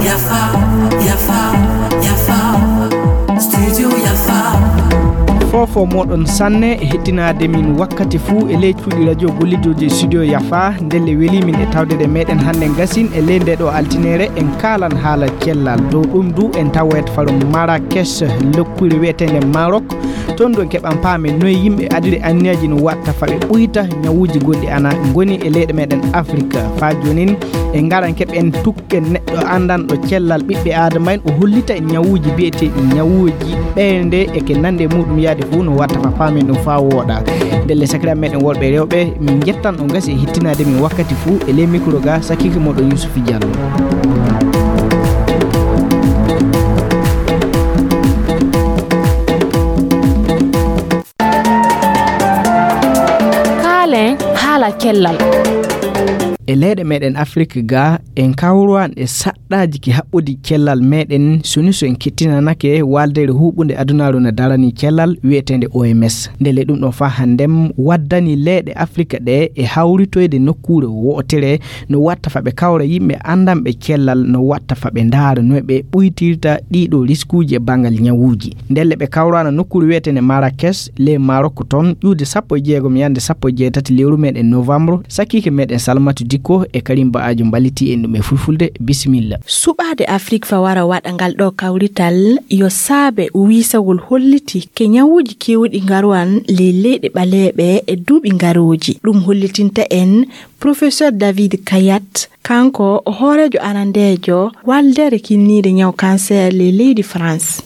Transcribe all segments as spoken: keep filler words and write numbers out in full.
Yafa, yafa, yafa. Studio yafa. Fofo moɗon sanne e hettinaade min wakkati fuu e ley cuuɗi radio gollidooji e studio yafa. Ndelle weli min e tawde meɗen hannde ngasin e ley nde ɗo altineere en kaalan haala cellal. Dow ɗum du en tawoyat faro Marrakech, lokkure wi'eteende Maroc. Toon du en keɓan paame noye yimɓe adiri anniyaji no watta fa ɓe ɓuyta ñawuuji gonɗi ana ngoni e leyɗe meɗen Afrique. Faa joonin en ngaran keɓen tukken neɗɗo anndanɗo cellal ɓiɓɓe Aadama en, o hollita en ñawuuji biyeteeɗi ñawuuji ɓeynde e ke nande e muɗum yaade fof no watta fa paamen ɗum faa wooɗa. Ndelle sakiraaɓe meɗen worɓe e rewɓe, min njettan on gasi e hittinaade min wakkati fuu e ley mikro ga sakiike moɗon Yusufi Jallo. Kaalen haala cellal. E leyɗe meɗen Afrik ga, en kawruwan e saɗɗaaji ki haɓɓodi cellal meɗen, soni so en kettinanake waldere huɓunde adunaaru no darani cellal wi'eteende O M S. Ndelle ɗum ɗon faa hannden waddani leyɗe Afrik ɗe e hawritoyde nokkuure wootere no watta fa ɓe kawra yimɓe anndanɓe cellal, no watta fa ɓe ndaara no ɓe ɓuytirta ɗiɗo riskuuji e banngal ñawuuji. Ndelle ɓe kawrana nokkuure wi'eteende Marrakech, ley Maroc toon, ƴuude sappo e jeegom yannde sappo e jeetati lewru meɗen novembre, sakiike meɗen Salmatu Dikko e Karim Ba'ajo mballiti en ɗum e fulfulde. Bisimilla. Suɓaade Afrik fa wara waɗa ngal ɗo kawrital yo saabe wiisagol holliti ke ñawuuji keewɗi ngarowan ley leyɗe ɓaleeɓe e duuɓi ngarooji. Ɗum hollitinta en Professeur David Kayat, kanko o hooreejo arandeejo waldere kinniide ñaw cancer ley leydi France.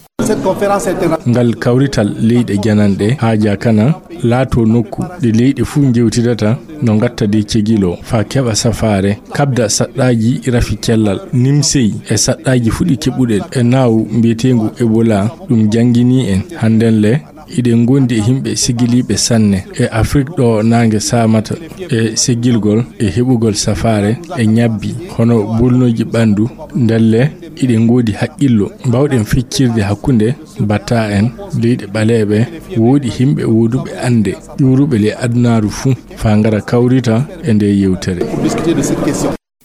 Ngal kawrital leyɗe jananɗe haajaa kana laato nokku ɗe leyɗe fuu njewtidata no ngatta de cegilo faa keɓa safaare, kabda saɗɗaaji rafi cellal, nimsey e saɗɗaaji fuɗi keɓuɗen e naawu mbiyeteengu Ebola. Ɗum janngini en hannden le iɗen ngondi e yimɓe segiliiɓe sanne e Afrik ɗo naange saamata e segilgol e heɓugol safaare e ñabbi hono bulnooji ɓanndu. Ndelle iɗen ngoodi haqqillo mbawɗen feccirde hakkunde batta en leyɗe ɓaleeɓe, wooɗi yimɓe wooduɓe annde ƴuuruɓe ley adunaaru fuu faa ngara kawrita e nde yewtere.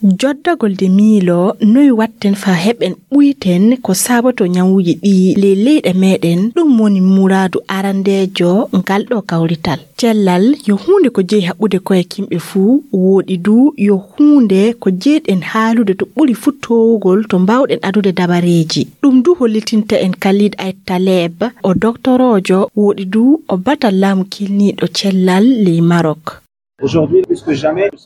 Joddagol de miilo noy watten faa heɓen ɓuyten ko saaboto ñawuuji ɗi ley leyɗe meɗen, ɗum woni muraadu arandeejo ngal ɗo kawrital. Cellal yo huunde ko jeyi haɓɓude koye kimɓe fuu, wooɗi du yo huunde ko jeyɗen haalude to ɓuri fuu toowugol to mbawɗen adude dabareeji. Ɗum du hollitinta en Khalid Ait Taleb, o doktoroojo, wooɗi du o batal laamu kilniiɗo cellal ley Maroc.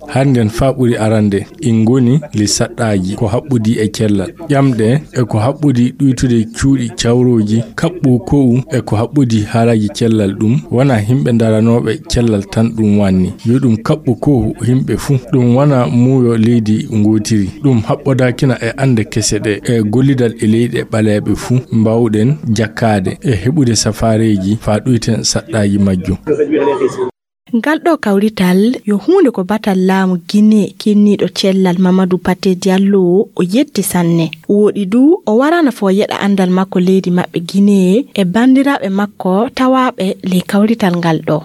Hannden faa ɓuri arande, en ngoni li saɗɗaaji ko haɓɓodi e cellal, ƴamɗe e ko haɓɓodi ɗuytude cuuɗi cawrooji, kaɓɓu ko'u e ko haɓɓodi haalaaji cellal. Ɗum wona yimɓe ndaranooɓe cellal tan ɗum wanni. Yo ɗum kaɓɓu ko'u yimɓe fuu. Ɗum wona muuyo leydi ngootiri. Ɗum haɓɓodaakina e annde kese ɗe e gollidal e leyɗe ɓaleeɓe fuu mbawɗen jakkaade e heɓude safaareeji faa ɗuyten saɗɗaaji majjum. Ngal ɗo kawrital yo huunde ko batal laamu Guinée kinniiɗo cellal Mamadou Pathé Diallo o yetti sanne. Wooɗi du o warana fo yeɗa anndal makko leydi maɓɓe Guinée e banndiraaɓe makko tawaaɓe ley kawrital ngal ɗo.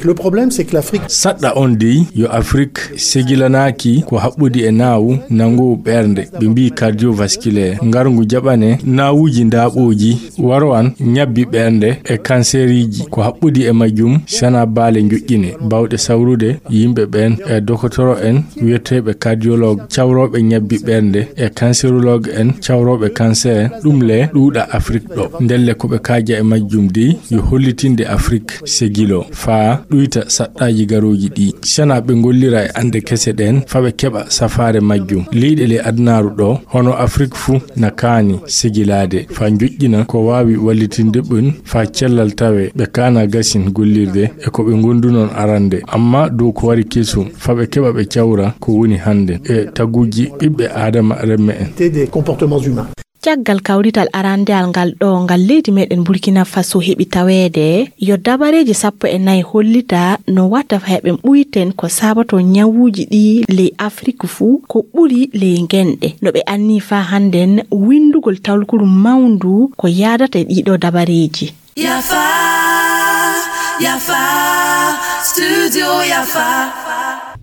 Le problème, c'est que l'Afrique Saɗɗa on dey yo Afrik segilanaaki ko haɓɓodi e naawu nanngoowu ɓernde, ɓe mbiyi cardiovasculaire, ngarngu jaɓane naawuuji ndaaɓooji, waro an ñabbi ɓernde e kanseeriiji, ko haɓɓodi e majjum sana baale njoƴƴine, baawɗe sawrude yimɓe ɓeen e dokotoro en wiyeteeɓe cardiologue, cawrooɓe ñabbi ɓernde e cancérologue en, cawrooɓe cancer, ɗum le ɗuuɗa Afrik ɗo. Ndelle ko ɓe kaaja e majjum dey yo hollitinde Afrik segilo faa ɗuyta saɗɗaaji garooji ɗi. Sana ɓe ngollira e annde kese ɗeen faa ɓe keɓa safaare majjum. Leyɗe ley adunaaru ɗo, hono Afrik fuu, na kaani segilaade faa njoƴƴina ko waawi wallitinde ɓen faa cellal tawee ɓe kaana gasin gollirde e ko ɓe ngondunon arande, amma dow ko wari kesum faa ɓe keɓa ɓe cawra ko woni hannde e taguuji ɓiɓɓe Aadama remme en. Des comportements humains. Caggal kawrital arandeal ngal ɗo ngal leydi meɗen Burkina Faso heɓi taweede, yo dabareeji sappo e nayi hollita no watta faa heɓen ɓuyten ko sabato ñawuuji ɗi ley Afrik fuu ko ɓuri ley ngenɗe. No ɓe anni faa hannden winndugol tawlukuru mawndu ko yaadata e ɗiɗo dabareeji. Yafa, yafa, studio yafa.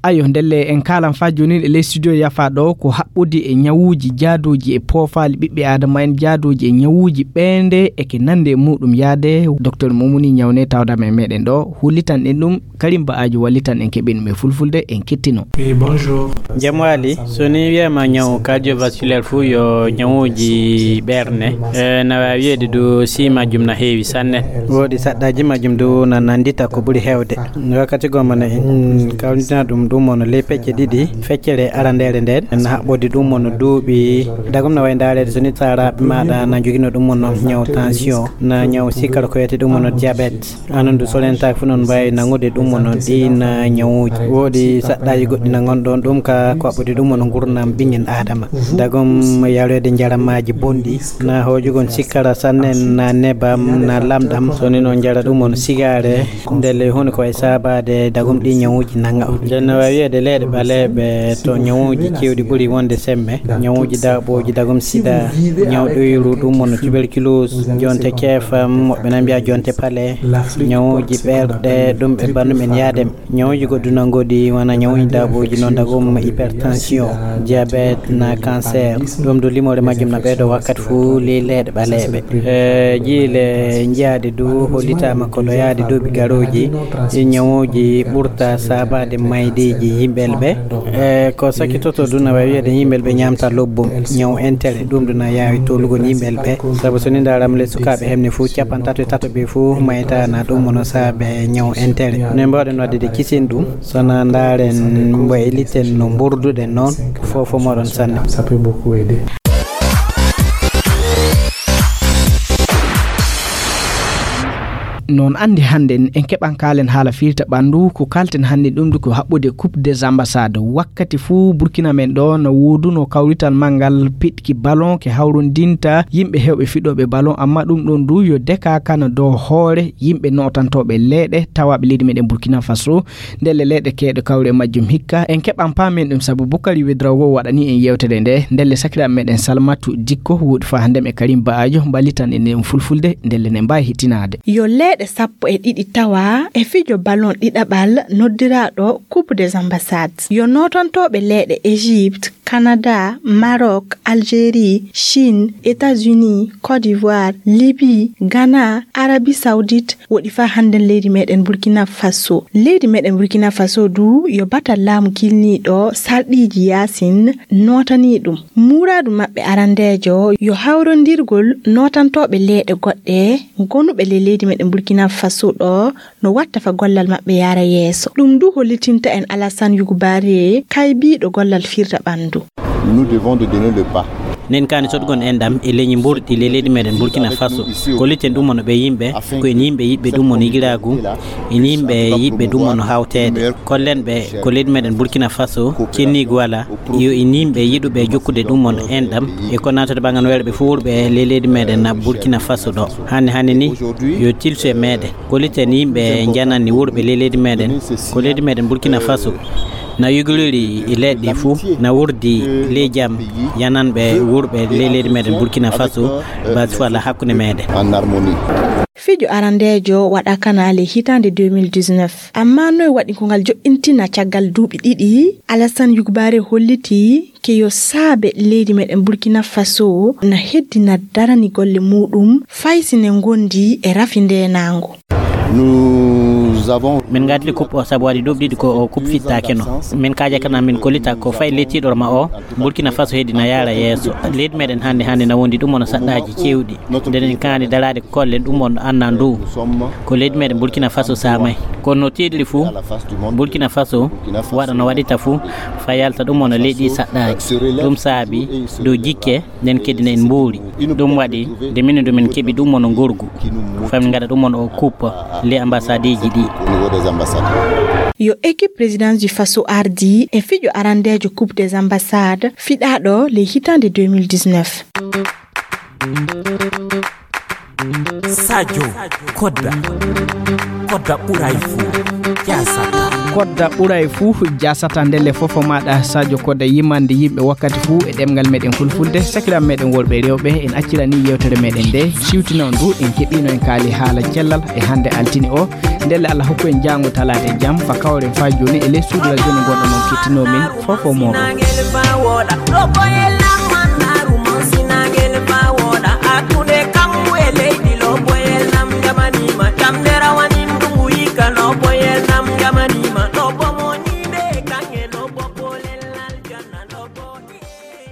Ayo, ndelle en kaalan faa joonin e ley studio yafa ɗo ko haɓɓude e ñawuuji jaaduuji e poofaali ɓiɓɓe aadama en, jaaduuji e ñawuuji ɓeende e ke nande e muuɗum yaade. Docteur Momuni Ñawne tawdama e meɗen ɗo, hullitan en ɗum, Karim Ba Ajo wallitan en keɓen ɗum e fulfulde, en kettino. Oui, bonjour. Jam waali, so ni wiyama ñaw cardiovasculaire fuu yo ñawuuji ɓerne. E, na waawi wiyeede du si majjum na heewi sanne. Woodi saɗɗaaji majjum du na nandita ko ɓuri heewde. Wakkati goo mana en kawnitina ɗum, ɗum wano ley pecce ɗiɗi. Feccere arandeere nden na haɓɓodi ɗum wano duuɓi. Dagum na wayi ndaareede so ni saaraaɓe maaɗa na njogino ɗum wano ñaw tension, na ñaw sikkar ko wiyete ɗum wano diabète. Anon du solentaaki fu non mbaawi nangude ɗum wano ɗiin ñawuuji. Woodi saɗɗaaji goɗɗi na ngonɗon ɗum ka ko haɓɓodi ɗum wano ngurnam ɓingel aadama. Dagum yareede njaramaaji bonɗi, na hoojugol sikkara sanne, na nebam, na lamɗam. So ni non njara ɗum wano sigaare, ndelle huunde ko wayi saabaade dagum ɗi ñawuuji nanga on. Nden no waawi wiyeede leyɗe ɓaleeɓe to ñawuuji keewɗi ɓuri wonde semme. Ñawuuji daaɓooji dagum sida, ñaw ɗoyru ɗum wano tuberculose, jonte keefam, woɓɓe na mbiya jonte pale, ñawuuji ɓerɗe, ɗum e banndum en yaadem. Ñawuuji goɗɗi na ngoodi, wona ñawuuji daaɓooji noon dagum hypertension, diabète, na cancer. Ɗum du limoore majjum na ɓeydo wakkati fuu ley leyɗe ɓaleeɓe. E, jiile njiyaaɗe du hollitaama ko ɗo yaade duuɓi garooji, ɗi ñawuuji ɓurta saabaade maydeeji yimɓe ɓe. E, ko sakkitoto du na waawi wiyeede yimɓe ɓe ñaamta lobbum, ñaw entere, ɗum du na yaawi tolugol yimɓe ɓe. Sabu so ni ndaaraama ley sukaaɓe hemne fuu, capanɗe tato e tato ɓe fuu mayta na ɗum wano saabe ñaw entere. No mbaawɗen waɗde de kisin ɗum, so na ndaaren mbayliten no mburduɗen noon, fof fof moɗon sanne. Ça peut beaucoup aider. Noon anndi hannden en keɓan kaalen haala firta ɓanndu, ko kaalten hannden ɗum du ko haɓɓude Coupe des Ambassades. Wakkati fuu Burkina men ɗo no wooduno kawrital manngal piɗki ballon ke hawrondinta yimɓe heewɓe fiɗooɓe ballon, amma ɗum ɗon du yo deka kana dow hoore yimɓe nootantooɓe leeɗe tawaaɓe leydi meɗen Burkina Faso. Ndelle leyɗe keewɗe kawri e majjum hikka. En keɓan paamen ɗum sabu Bukari Wedraogo waɗani en yewtere nde. Ndelle sakiraaɓe meɗen Salmatu Dikko woodi faa hannden e Karim Ba'ajo mballitan en ɗum fulfulde, ndelle ne mbaawi hittinaade. Yo leeɗe sappo e ɗiɗi tawa e fijo ballon ɗiɗaɓal noddiraaɗo Coupe des Ambassades. Yo nootantooɓe leeɗe Égypte, Canada, Maroc, Algérie, Chine, États-Unis, Côte d'Ivoire, Libye, Ghana, Arabie Saoudite, woɗi faa hannden leydi meɗen Burkina Faso. Leydi meɗen Burkina Faso du yo batal laamu kilniiɗo sarɗiiji yaasin nootanii ɗum. Muuraadu maɓɓe arandeejo yo hawrondirgol nootantooɓe leeɗe goɗɗe gonuɓe ley leydi meɗen Burkina Faso ɗo no watta fa gollal maɓɓe yaara yeeso. Ɗum du hollitinta en Alassane Yugubare kaybiiɗo gollal firta ɓanndu. Nous devons de donner le pas. Nen kaani sotgol enɗam e leñi mburɗi ley leydi meɗen Burkina Faso. Kolliten ɗum wano ɓe yimɓe, ko en yimɓe yiɓɓe ɗum wano yigiraagu, en yimɓe yiɓɓe ɗum wano hawteede. Kollen ɓe ko leydi meɗen Burkina Faso, kenniigu wala, yo en yimɓe yiɗuɓe jokkude ɗum wano enɗam, e ko naatata ɓangan weere ɓe fof wurɓe ley leydi meɗen na Burkina Faso ɗo. Hannde hannde ni, yo tilsu e meɗe. Kolliten yimɓe jananni wurɓe ley leydi meɗen, ko leydi meɗen Burkina Faso na yogoriri e leɗɗe fuu, na wurdi ley jam yananɓe wurɓe ley leydi meɗen Burkina Faso, basi fuu alaa hakkunde meɗe. En harmonie. Fijo arandeejo waɗa kana ley hitaande deux mille dix-neuf. Amma noy waɗi ko ngal joɗɗintina caggal duuɓi ɗiɗi? Alassane Yugubare holliti ke yo saabe leydi meɗen Burkina Faso na heddina darani golle muɗum fay si ne ngondi e rafi ndenaango. Nous avons Min ngaddi coupe o sabu waɗi duuɓi ɗiɗi ko o coupe fittakeno. Min kaaja kana min kollita ko fay lettiɗo ma o, Burkina Faso heddina yaara yeeso. Leydi meɗen hannde hannde na wondi ɗum wano saɗɗaaji cewɗi. Nden en kaani daraade ko kollen ɗum wano anna ndu. Ko leydi meɗen Burkina Faso saamay. Kono no tiiɗiri fuu, Burkina Faso waɗa no waɗita fuu, fa yalta ɗum wano leydi saɗɗaaji. Ɗum saabi dow jikke, nden kadi ne en mbuuri. Ɗum waɗi, nde minen du min keɓi ɗum wano ngorgu. Fa min ngaɗa ɗum wano o coupe les ambassades ji ɗi. Au niveau des ambassades. Yo équipe présidence du Faso ardi e fijo arandeejo Coupe des Ambassades fiɗaaɗo ley hitaande deux mille dix-neuf. Sadio Kodda. Kodda ɓuray fuu. Jaasata. Kodda ɓuray fuu jasata ndelle fofo maɗa Sadio Kodda yimande yimɓe wakkati fuu e ɗemngal meɗen fulfulde. Sakiraɓe meɗen worɓe e rewɓe, en accirani yewtere meɗen nde siwtinon ndu, en keɓino en kaali haala cellal e hannde altine o. Ndelle Allah hokku en jaango talaata e jam fa kawren fa jooni e ley suudu radio no gonɗon on kettino min fofo moɗon.